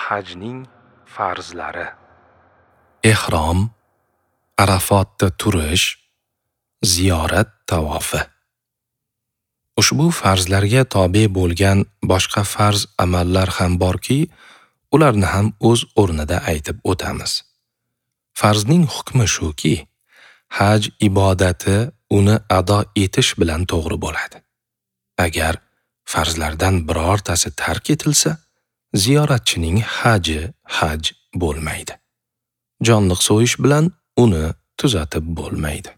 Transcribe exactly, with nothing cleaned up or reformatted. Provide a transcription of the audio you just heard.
Hajning farzlari: Ehrom, Arafotda turish, ziyorat tavofi. Ushbu farzlarga tobe bo'lgan boshqa farz amallar ham borki, ularni ham o'z o'rnida aytib o'tamiz. Farzning hukmi shuki, haj ibodati uni ado etish bilan to'g'ri bo'ladi. Agar farzlardan birortasi tark etilsa, ziyoratchining haji haj bo'lmaydi. Jonliq so'yish bilan uni tuzatib bo'lmaydi.